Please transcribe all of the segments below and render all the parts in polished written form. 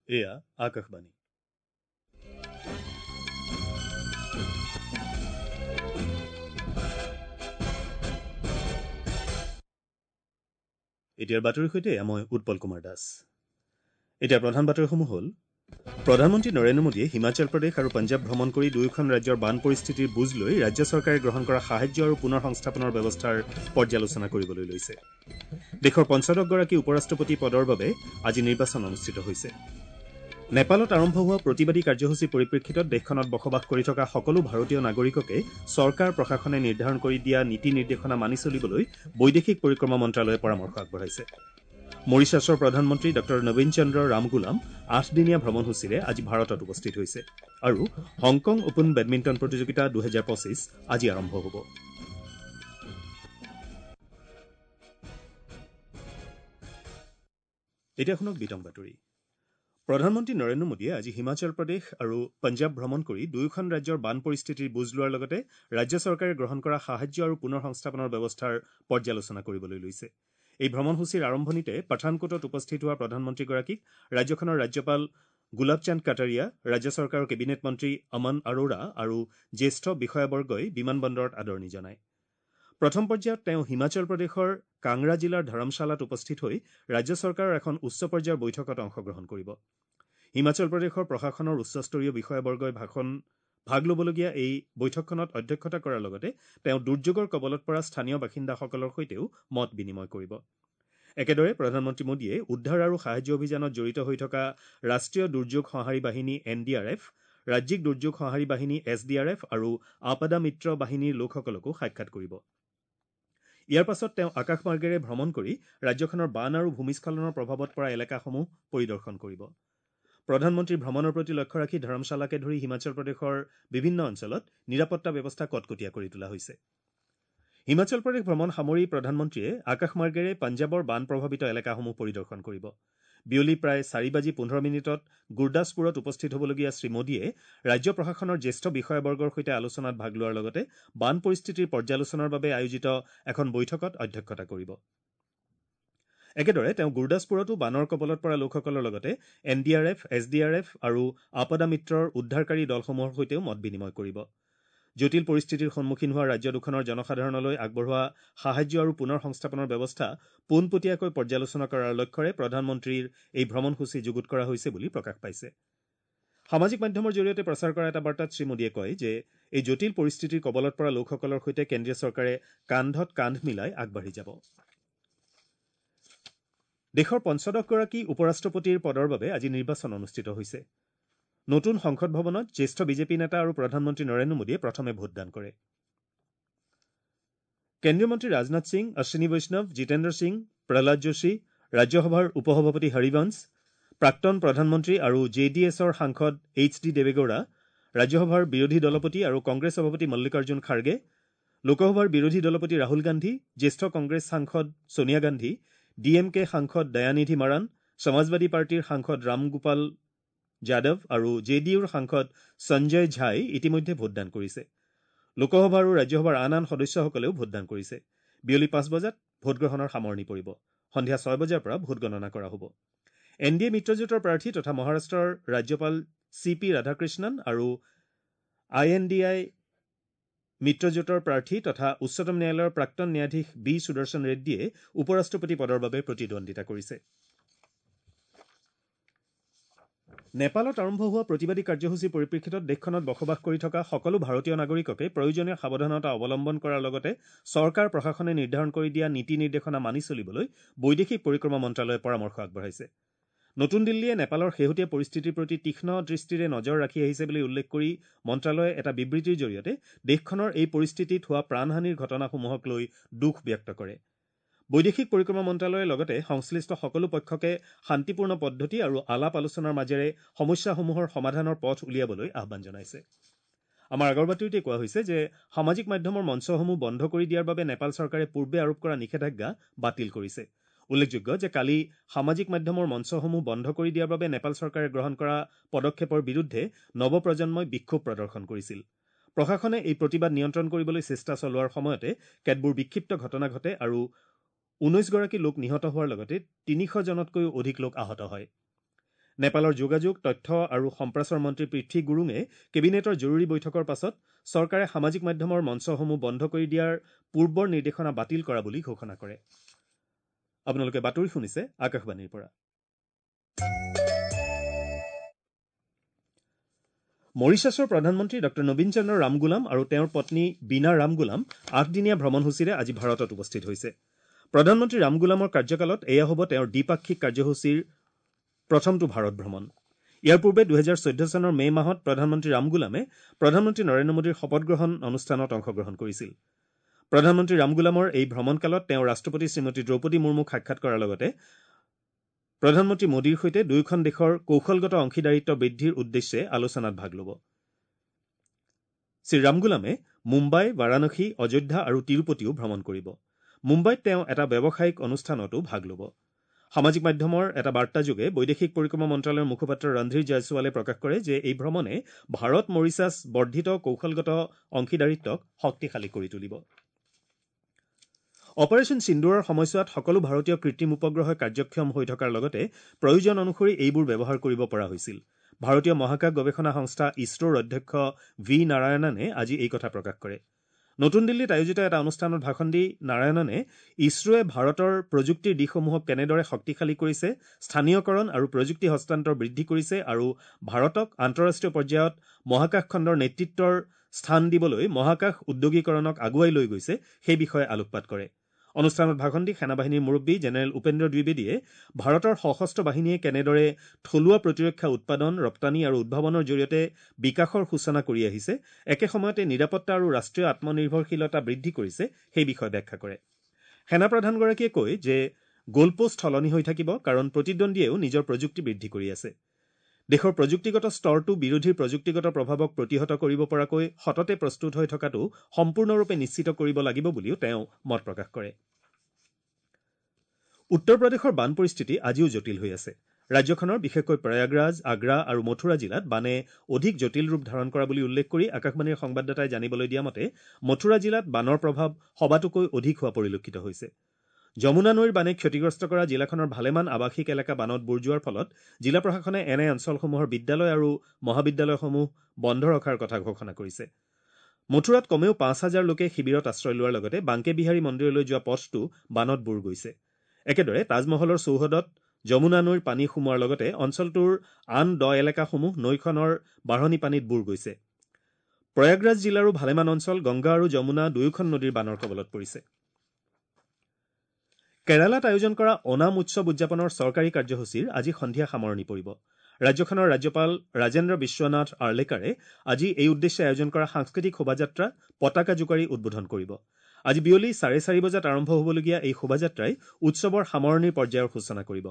এয়া আকাশবাণী। এতিয়াৰ বাতৰিৰ সৈতে মই উৎপল কুমাৰ দাস। এতিয়া প্ৰধান বাতৰিসমূহ হ'ল: প্ৰধানমন্ত্ৰী নৰেন্দ্ৰ মোদীয়ে হিমাচল প্ৰদেশ আৰু পঞ্জাৱ ভ্ৰমণ কৰি দুয়োখন ৰাজ্যৰ বান পৰিস্থিতিৰ বুজ লৈ ৰাজ্য চৰকাৰে গ্ৰহণ কৰা সাহায্য আৰু পুনৰ সংস্থাপনৰ ব্যৱস্থাৰ পৰ্যালোচনা কৰিবলৈ লৈছে। দেশৰ পঞ্চদশগৰাকী উপ-ৰাষ্ট্ৰপতি পদৰ বাবে আজি নিৰ্বাচন অনুষ্ঠিত হৈছে। নেপালত আৰম্ভ হোৱা প্ৰতিবাদী কাৰ্যসূচীৰ পৰিপ্ৰেক্ষিতত দেশখনত বসবাস কৰি থকা সকলো ভাৰতীয় নাগৰিককে চৰকাৰ প্ৰশাসনে নিৰ্ধাৰণ কৰি দিয়া নীতি নিৰ্দেশনা মানি চলিবলৈ বৈদেশিক পৰিক্ৰমা মন্ত্ৰালয়ে পৰামৰ্শ আগবঢ়াইছে। মৰিছাছৰ প্ৰধানমন্ত্ৰী ডঃ নবীন চন্দ্ৰ ৰামগুলাম ৮দিনীয়া ভ্ৰমণসূচীৰে আজি ভাৰতত উপস্থিত হৈছে। আৰু হংকং অপেন বেডমিণ্টন প্ৰতিযোগিতা ২০২৫ আজি আৰম্ভ হ'ব। এতিয়া শুনক বিতং বাতৰি। প্ৰধানমন্ত্ৰী নৰেন্দ্ৰ মোদীয়ে আজি হিমাচল প্ৰদেশ আৰু পঞ্জাৱ ভ্ৰমণ কৰি দুয়োখন ৰাজ্যৰ বান পৰিস্থিতিৰ বুজ লোৱাৰ লগতে ৰাজ্য চৰকাৰে গ্ৰহণ কৰা সাহায্য আৰু পুনৰ সংস্থাপনৰ ব্যৱস্থাৰ পৰ্যালোচনা কৰিবলৈ লৈছে। এই ভ্ৰমণসূচীৰ আৰম্ভণিতে পাঠানকোটত উপস্থিত হোৱা প্ৰধানমন্ত্ৰীগৰাকীক ৰাজ্যখনৰ ৰাজ্যপাল গুলাব চান্দ কাটাৰিয়া, ৰাজ্য চৰকাৰৰ কেবিনেট মন্ত্ৰী অমন আৰোৰা আৰু জ্যেষ্ঠ বিষয়াবৰ্গই বিমানবন্দৰত আদৰণি জনায়। প্ৰথম পৰ্যায়ত তেওঁ হিমাচল প্ৰদেশৰ কাংৰা জিলাৰ ধৰমশালাত উপস্থিত হৈ ৰাজ্য চৰকাৰৰ এখন উচ্চ পৰ্যায়ৰ বৈঠকত অংশগ্ৰহণ কৰিব। হিমাচল প্ৰদেশৰ প্ৰশাসনৰ উচ্চস্তৰীয় বিষয়াবৰ্গই ভাগ ল'বলগীয়া এই বৈঠকখনত অধ্যক্ষতা কৰাৰ লগতে তেওঁ দুৰ্যোগৰ কবলত পৰা স্থানীয় বাসিন্দাসকলৰ সৈতেও মত বিনিময় কৰিব। একেদৰে প্ৰধানমন্ত্ৰী মোদীয়ে উদ্ধাৰ আৰু সাহায্য অভিযানত জড়িত হৈ থকা ৰাষ্ট্ৰীয় দুৰ্যোগ সঁহাৰি বাহিনী এন ডি আৰ এফ, ৰাজ্যিক দুৰ্যোগ সঁহাৰি বাহিনী এছ ডি আৰ এফ আৰু আপদা মিত্ৰ বাহিনীৰ লোকসকলকো সাক্ষাৎ কৰিব। ইয়াৰ পাছত তেওঁ আকাশমাৰ্গেৰে ভ্ৰমণ কৰি ৰাজ্যখনৰ বান আৰু ভূমিস্খলনৰ প্ৰভাৱত পৰা এলেকাসমূহ পৰিদৰ্শন কৰিব। প্ৰধানমন্ত্ৰীৰ ভ্ৰমণৰ প্ৰতি লক্ষ্য ৰাখি ধৰমশালাকে ধৰি হিমাচল প্ৰদেশৰ বিভিন্ন অঞ্চলত নিৰাপত্তা ব্যৱস্থা কটকটীয়া কৰি তোলা হৈছে। হিমাচল প্ৰদেশ ভ্ৰমণ সামৰি প্ৰধানমন্ত্ৰীয়ে আকাশমাৰ্গেৰে পঞ্জাৱৰ বান প্ৰভাৱিত এলেকাসমূহ পৰিদৰ্শন কৰিব। বিয়লি প্ৰায় ৪:১৫ গুৰদাসপুৰত উপস্থিত হ'বলগীয়া শ্ৰীমোদীয়ে ৰাজ্য প্ৰশাসনৰ জ্যেষ্ঠ বিষয়াবৰ্গৰ সৈতে আলোচনাত ভাগ লোৱাৰ লগতে বান পৰিস্থিতিৰ পৰ্যালোচনাৰ বাবে আয়োজিত এখন বৈঠকত অধ্যক্ষতা কৰিব। একেদৰে তেওঁ গুৰদাসপুৰতো বানৰ কবলত পৰা লোকসকলৰ লগতে N D R F, S D R F আৰু আপদা মিত্ৰৰ উদ্ধাৰকাৰী দলসমূহৰ সৈতেও মত বিনিময় কৰিব। জটিল পৰিস্থিতিৰ সন্মুখীন হোৱা ৰাজ্য দুখনৰ জনসাধাৰণলৈ আগবঢ়োৱা সাহায্য আৰু পুনৰ সংস্থাপনৰ ব্যৱস্থা পোনপটীয়াকৈ পৰ্যালোচনা কৰাৰ লক্ষ্যৰে প্ৰধানমন্ত্ৰীৰ এই ভ্ৰমণসূচী যুগুত কৰা হৈছে বুলি প্ৰকাশ পাইছে। সামাজিক মাধ্যমৰ জৰিয়তে প্ৰচাৰ কৰা এটা বাৰ্তাত শ্ৰীমোদীয়ে কয় যে এই জটিল পৰিস্থিতিৰ কবলত পৰা লোকসকলৰ সৈতে কেন্দ্ৰীয় চৰকাৰে কান্ধত কান্ধ মিলাই আগবাঢ়ি যাব। দেশৰ পঞ্চদশগৰাকী উপ-ৰাষ্ট্ৰপতিৰ পদৰ বাবে আজি নিৰ্বাচন অনুষ্ঠিত হৈছে। নতুন সংসদ ভৱনত জ্যেষ্ঠ বিজেপি নেতা আৰু প্ৰধানমন্ত্ৰী নৰেন্দ্ৰ মোদীয়ে প্ৰথমে ভোটদান কৰে। কেন্দ্ৰীয় মন্ত্ৰী ৰাজনাথ সিং, অশ্বিনী বৈষ্ণৱ, জিতেন্দ্ৰ সিং, প্ৰহ্লাদ যোশী, ৰাজ্যসভাৰ উপসভাপতি হৰিবংশ, প্ৰাক্তন প্ৰধানমন্ত্ৰী আৰু জে ডি এছৰ সাংসদ এইচ ডি দেৱেগৌড়া, ৰাজ্যসভাৰ বিৰোধী দলপতি আৰু কংগ্ৰেছ সভাপতি মল্লিকাৰ্জুন খাৰ্গে, লোকসভাৰ বিৰোধী দলপতি ৰাহুল গান্ধী, জ্যেষ্ঠ কংগ্ৰেছ সাংসদ Sonia Gandhi, D M K সাংসদ দয়ানিধি মাৰাণ, সমাজবাদী পাৰ্টীৰ সাংসদ ৰামগোপাল যাদৱ আৰু জে ডি ইউৰ সাংসদ সঞ্জয় ঝাই ইতিমধ্যে ভোটদান কৰিছে। লোকসভা আৰু ৰাজ্যসভাৰ আন আন সদস্যসকলেও ভোটদান কৰিছে। বিয়লি ৫ বজাত ভোটগ্ৰহণৰ সামৰণি পৰিব। সন্ধিয়া ৬ বজাৰ পৰা ভোটগণনা কৰা হ'ব। এন ডি এ মিত্ৰজোঁটৰ প্ৰাৰ্থী তথা মহাৰাষ্ট্ৰৰ ৰাজ্যপাল চি পি ৰাধাকৃষ্ণন আৰু আই এন ডি আই মিত্ৰজোঁটৰ প্ৰাৰ্থী তথা উচ্চতম ন্যায়ালয়ৰ প্ৰাক্তন ন্যায়াধীশ বি সুদৰ্শন ৰেড্ডীয়ে উপ-ৰাষ্ট্ৰপতি পদৰ বাবে প্ৰতিদ্বন্দ্বিতা কৰিছে। নেপালত আৰম্ভ হোৱা প্ৰতিবাদী কাৰ্যসূচীৰ পৰিপ্ৰেক্ষিতত দেশখনত বসবাস কৰি থকা সকলো ভাৰতীয় নাগৰিককে প্ৰয়োজনীয় সাৱধানতা অৱলম্বন কৰাৰ লগতে চৰকাৰ প্ৰশাসনে নিৰ্ধাৰণ কৰি দিয়া নীতি নিৰ্দেশনা মানি চলিবলৈ বৈদেশিক পৰিক্ৰমা মন্ত্ৰালয়ে পৰামৰ্শ আগবঢ়াইছে। নতুন দিল্লীয়ে নেপালৰ শেহতীয়া পৰিস্থিতিৰ প্ৰতি তীক্ষ্ণ দৃষ্টিৰে নজৰ ৰাখি আহিছে বুলি উল্লেখ কৰি মন্ত্ৰালয়ে এটা বিবৃতিৰ জৰিয়তে দেশখনৰ এই পৰিস্থিতিত হোৱা প্ৰাণহানিৰ ঘটনাসমূহক লৈ দুখ ব্যক্ত কৰে। বৈদেশিক পৰিক্ৰমা মন্ত্ৰালয়ে লগতে সংশ্লিষ্ট সকলো পক্ষকে শান্তিপূৰ্ণ পদ্ধতি আৰু আলাপ আলোচনাৰ মাজেৰে সমস্যাসমূহৰ সমাধানৰ পথ উলিয়াবলৈ আহ্বান জনাইছে। আমাৰ আগৰ বাতৰিতে কোৱা হৈছে যে সামাজিক মাধ্যমৰ মঞ্চসমূহ বন্ধ কৰি দিয়াৰ বাবে নেপাল চৰকাৰে পূৰ্বে আৰোপ কৰা নিষেধাজ্ঞা বাতিল কৰিছে। উল্লেখযোগ্য যে কালি সামাজিক মাধ্যমৰ মঞ্চসমূহ বন্ধ কৰি দিয়াৰ বাবে নেপাল চৰকাৰে গ্ৰহণ কৰা পদক্ষেপৰ বিৰুদ্ধে নৱপ্ৰজন্মই বিক্ষোভ প্ৰদৰ্শন কৰিছিল। প্ৰশাসনে এই প্ৰতিবাদ নিয়ন্ত্ৰণ কৰিবলৈ চেষ্টা চলোৱাৰ সময়তে কেতবোৰ বিক্ষিপ্ত ঘটনা ঘটে আৰু ১৯ গৰাকী লোক নিহত হোৱাৰ লগতে ৩০০ জনতকৈও অধিক লোক আহত হয়। নেপালৰ যোগাযোগ, তথ্য আৰু সম্প্ৰচাৰ মন্ত্ৰী পৃথ্বী গুৰুঙে কেবিনেটৰ জৰুৰী বৈঠকৰ পাছত চৰকাৰে সামাজিক মাধ্যমৰ মঞ্চসমূহ বন্ধ কৰি দিয়াৰ পূৰ্বৰ নিৰ্দেশনা বাতিল কৰা বুলি ঘোষণা কৰে। আপোনালোকে বাতৰি শুনিছে আকাশবাণীৰ পৰা। মৰিচাছৰ প্ৰধানমন্ত্ৰী ডঃ নবীন চন্দ্ৰ ৰামগুলাম আৰু তেওঁৰ পত্নী বীণা ৰামগুলাম ৮দিনীয়া ভ্ৰমণসূচীৰে আজি ভাৰতত উপস্থিত হৈছে। প্ৰধানমন্ত্ৰী ৰামগুলামৰ কাৰ্যকালত এয়া হ'ব তেওঁৰ দ্বিপাক্ষিক কাৰ্যসূচীৰ প্ৰথমটো ভাৰত ভ্ৰমণ। ইয়াৰ পূৰ্বে ২০১৪ চনৰ মে' মাহত প্ৰধানমন্ত্ৰী ৰামগুলামে প্ৰধানমন্ত্ৰী নৰেন্দ্ৰ মোদীৰ শপতগ্ৰহণ অনুষ্ঠানত অংশগ্ৰহণ কৰিছিল। প্ৰধানমন্ত্ৰী ৰামগুলামৰ এই ভ্ৰমণকালত তেওঁ ৰাষ্ট্ৰপতি শ্ৰীমতী দ্ৰৌপদী মুৰ্মুক সাক্ষাৎ কৰাৰ লগতে প্ৰধানমন্ত্ৰী মোদীৰ সৈতে দুয়োখন দেশৰ কৌশলগত অংশীদাৰিত্ব বৃদ্ধিৰ উদ্দেশ্যে আলোচনাত ভাগ ল'ব। শ্ৰীৰামগুলামে মুম্বাই, বাৰাণসী, অযোধ্যা আৰু তিৰুপতিও ভ্ৰমণ কৰিব। মুম্বাইত তেওঁ এটা ব্যৱসায়িক অনুষ্ঠানতো ভাগ ল'ব। সামাজিক মাধ্যমৰ এটা বাৰ্তাযোগে বৈদেশিক পৰিক্ৰমা মন্ত্ৰালয়ৰ মুখপাত্ৰ ৰণধীৰ জয়ছোৱালে প্ৰকাশ কৰে যে এই ভ্ৰমণে ভাৰত মৰিচাছ বৰ্ধিত কৌশলগত অংশীদাৰিত্বক শক্তিশালী কৰি তুলিব। অপাৰেশ্যন সিন্দুৰৰ সময়ছোৱাত সকলো ভাৰতীয় কৃত্ৰিম উপগ্ৰহ কাৰ্যক্ষম হৈ থকাৰ লগতে প্ৰয়োজন অনুসৰি এইবোৰ ব্যৱহাৰ কৰিব পৰা হৈছিল। ভাৰতীয় মহাকাশ গৱেষণা সংস্থা ইছৰোৰ অধ্যক্ষ ভি নাৰায়ণনে আজি এই কথা প্ৰকাশ কৰে। নতুন দিল্লীত আয়োজিত এটা অনুষ্ঠানত ভাষণ দি নাৰায়ণনে ইছৰোৱে ভাৰতৰ প্ৰযুক্তিৰ দিশসমূহক কেনেদৰে শক্তিশালী কৰিছে, স্থানীয়কৰণ আৰু প্ৰযুক্তি হস্তান্তৰ বৃদ্ধি কৰিছে আৰু ভাৰতক আন্তঃৰাষ্ট্ৰীয় পৰ্যায়ত মহাকাশ খণ্ডৰ নেতৃত্বৰ স্থান দিবলৈ মহাকাশ উদ্যোগীকৰণক আগুৱাই লৈ গৈছে সেই বিষয়ে আলোকপাত কৰে। অনুষ্ঠানত ভাষণ দি সেনাবাহিনীৰ মুৰব্বী জেনেৰেল উপেন্দ্ৰ দ্বিবেদীয়ে ভাৰতৰ সশস্ত্ৰ বাহিনীয়ে কেনেদৰে থলুৱা প্ৰতিৰক্ষা উৎপাদন, ৰপ্তানি আৰু উদ্ভাৱনৰ জৰিয়তে বিকাশৰ সূচনা কৰি আহিছে, একে সময়তে নিৰাপত্তা আৰু ৰাষ্ট্ৰীয় আত্মনিৰ্ভৰশীলতা বৃদ্ধি কৰিছে সেই বিষয়ে ব্যাখ্যা কৰে। সেনাপ্ৰধানগৰাকীয়ে কয় যে গ'লপোষ্ট সলনি হৈ থাকিব, কাৰণ প্ৰতিদ্বন্দ্বীয়েও নিজৰ প্ৰযুক্তি বৃদ্ধি কৰি আছে। দেশৰ প্ৰযুক্তিগত স্তৰটো বিৰোধীৰ প্ৰযুক্তিগত প্ৰভাৱক প্ৰতিহত কৰিব পৰাকৈ সততে প্ৰস্তুত হৈ থকাটো সম্পূৰ্ণৰূপে নিশ্চিত কৰিব লাগিব বুলিও তেওঁ মত প্ৰকাশ কৰে। উত্তৰ প্ৰদেশৰ বান পৰিস্থিতি আজিও জটিল হৈ আছে। ৰাজ্যখনৰ বিশেষকৈ প্ৰয়াগৰাজ, আগ্ৰা আৰু মথুৰা জিলাত বানে অধিক জটিল ৰূপ ধাৰণ কৰা বুলি উল্লেখ কৰি আকাশবাণীৰ সংবাদদাতাই জানিবলৈ দিয়া মতে মথুৰা জিলাত বানৰ প্ৰভাৱ সবাতোকৈ অধিক হোৱা পৰিলক্ষিত হৈছে। যমুনা নৈৰ বানে ক্ষতিগ্ৰস্ত কৰা জিলাখনৰ ভালেমান আৱাসিক এলেকা বানত বুৰ যোৱাৰ ফলত জিলা প্ৰশাসনে এনে অঞ্চলসমূহৰ বিদ্যালয় আৰু মহাবিদ্যালয়সমূহ বন্ধ ৰখাৰ কথা ঘোষণা কৰিছে। মথুৰাত কমেও ৫,০০০ লোকে শিবিৰত আশ্ৰয় লোৱাৰ লগতে বাংকে বিহাৰী মন্দিৰলৈ যোৱা পথটো বানত বুৰ গৈছে। একেদৰে তাজমহলৰ চৌহদত যমুনা নৈৰ পানী সোমোৱাৰ লগতে অঞ্চলটোৰ আন দ এলেকাসমূহ নৈখনৰ বাঢ়নী পানীত বুৰ গৈছে। প্ৰয়াগৰাজ জিলাৰো ভালেমান অঞ্চল গংগা আৰু যমুনা দুয়োখন নদীৰ বানৰ কবলত পৰিছে। কেৰালাত আয়োজন কৰা অনাম উৎসৱ উদযাপনৰ চৰকাৰী কাৰ্যসূচীৰ আজি সন্ধিয়া সামৰণি পৰিব। ৰাজ্যখনৰ ৰাজ্যপাল ৰাজেন্দ্ৰ বিশ্বনাথ আৰ্লেকাৰে আজি এই উদ্দেশ্যে আয়োজন কৰা সাংস্কৃতিক শোভাযাত্ৰা পতাকা জোকাৰি উদ্বোধন কৰিব। আজি বিয়লি 4:30 বজাত আৰম্ভ হ'বলগীয়া এই শোভাযাত্ৰাই উৎসৱৰ সামৰণিৰ পৰ্যায়ৰ সূচনা কৰিব।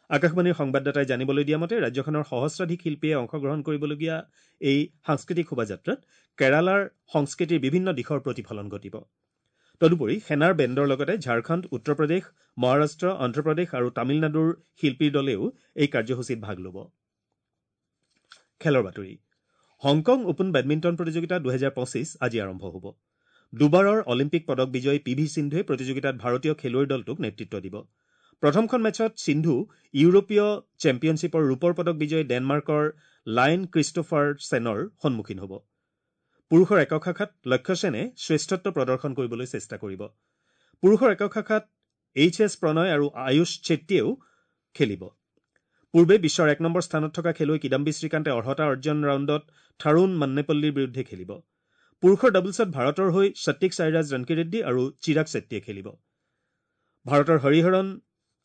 আকাশবাণীৰ সংবাদদাতাই জানিবলৈ দিয়া মতে ৰাজ্যখনৰ সহস্ৰাধিক শিল্পীয়ে অংশগ্ৰহণ কৰিবলগীয়া এই সাংস্কৃতিক শোভাযাত্ৰাত কেৰালাৰ সংস্কৃতিৰ বিভিন্ন দিশৰ প্ৰতিফলন ঘটিব। তদুপৰি সেনাৰ বেণ্ডৰ লগতে ঝাৰখণ্ড, উত্তৰ প্ৰদেশ, মহাৰাষ্ট্ৰ, অন্ধ্ৰপ্ৰদেশ আৰু তামিলনাডুৰ শিল্পীৰ দলেও এই কাৰ্যসূচীত ভাগ ল'ব। খেলৰ বাতৰি। হংকং অপেন বেডমিণ্টন প্ৰতিযোগিতা ২০২৫ আজি আৰম্ভ হ'ব। দুবাৰৰ অলিম্পিক পদক বিজয়ী পি ভি সিন্ধুৱে প্ৰতিযোগিতাত ভাৰতীয় খেলুৱৈৰ দলটোক নেতৃত্ব দিব। প্ৰথমখন মেচত সিন্ধু ইউৰোপীয় চেম্পিয়নশ্বিপৰ ৰূপৰ পদক বিজয়ী ডেনমাৰ্কৰ লাইন ক্ৰিষ্টোফাৰ চেনৰ সন্মুখীন হ'ব। পুৰুষৰ একক শাখাত লক্ষ্য সেনে শ্ৰেষ্ঠত্ব প্ৰদৰ্শন কৰিবলৈ চেষ্টা কৰিব। পুৰুষৰ একক শাখাত এইচ এছ প্ৰণয় আৰু আয়ুষ চেট্টীয়েও খেলিব। পূৰ্বে বিশ্বৰ ১ নম্বৰ স্থানত থকা খেলুৱৈ কিদাম্বী শ্ৰীকান্তে অৰ্হতা অৰ্জন ৰাউণ্ডত থাৰুণ মান্নেপল্লীৰ বিৰুদ্ধে খেলিব। পুৰুষৰ ডাবলছত ভাৰতৰ হৈ সত্বিক সাইৰাজ ৰংকিৰেড্ডী আৰু চিৰাগ চেট্টীয়ে খেলিব। ভাৰতৰ হৰিহৰণ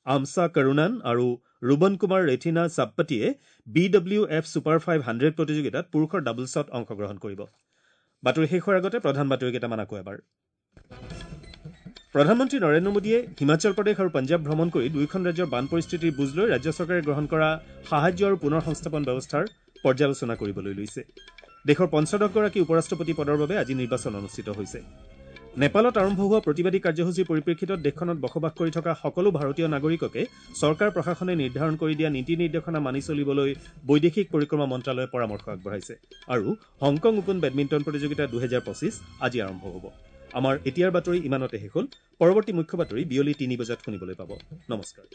আমছা কৰুণান আৰু ৰুবন কুমাৰ ৰেথিনা চাপ্পতিয়ে বি ডব্লিউ এফ ছুপাৰ 500 প্ৰতিযোগিতাত পুৰুষৰ ডাবলছত অংশগ্ৰহণ কৰিব। বাতৰি শেষ হোৱাৰ আগতে প্ৰধান বাতৰি কেইটামান আকৌ এবাৰ। প্ৰধানমন্ত্ৰী নৰেন্দ্ৰ মোদীয়ে হিমাচল প্ৰদেশ আৰু পঞ্জাৱ ভ্ৰমণ কৰি দুয়োখন ৰাজ্যৰ বান পৰিস্থিতিৰ বুজ লৈ ৰাজ্য চৰকাৰে গ্ৰহণ কৰা সাহায্য আৰু পুনৰ সংস্থাপন ব্যৱস্থাৰ পৰ্যালোচনা কৰিবলৈ লৈছে। দেশৰ ৫০গৰাকী উপ-ৰাষ্ট্ৰপতি পদৰ বাবে আজি নিৰ্বাচন অনুষ্ঠিত হৈছে। নেপালত আৰম্ভ হোৱা প্ৰতিবাদী কাৰ্যসূচীৰ পৰিপ্ৰেক্ষিতত দেশখনত বসবাস কৰি থকা সকলো ভাৰতীয় নাগৰিককে চৰকাৰ প্ৰশাসনে নিৰ্ধাৰণ কৰি দিয়া নীতি নিৰ্দেশনা মানি চলিবলৈ বৈদেশিক পৰিক্ৰমা মন্ত্ৰালয়ে পৰামৰ্শ আগবঢ়াইছে। আৰু হংকং অপেন বেডমিণ্টন প্ৰতিযোগিতা ২০২৫ আজি আৰম্ভ হ'ব। আমাৰ এতিয়াৰ বাতৰি ইমানতে শেষ হ'ল। পৰৱৰ্তী মুখ্য বাতৰি বিয়লি ৩ বজাত শুনিবলৈ পাব। নমস্কাৰ।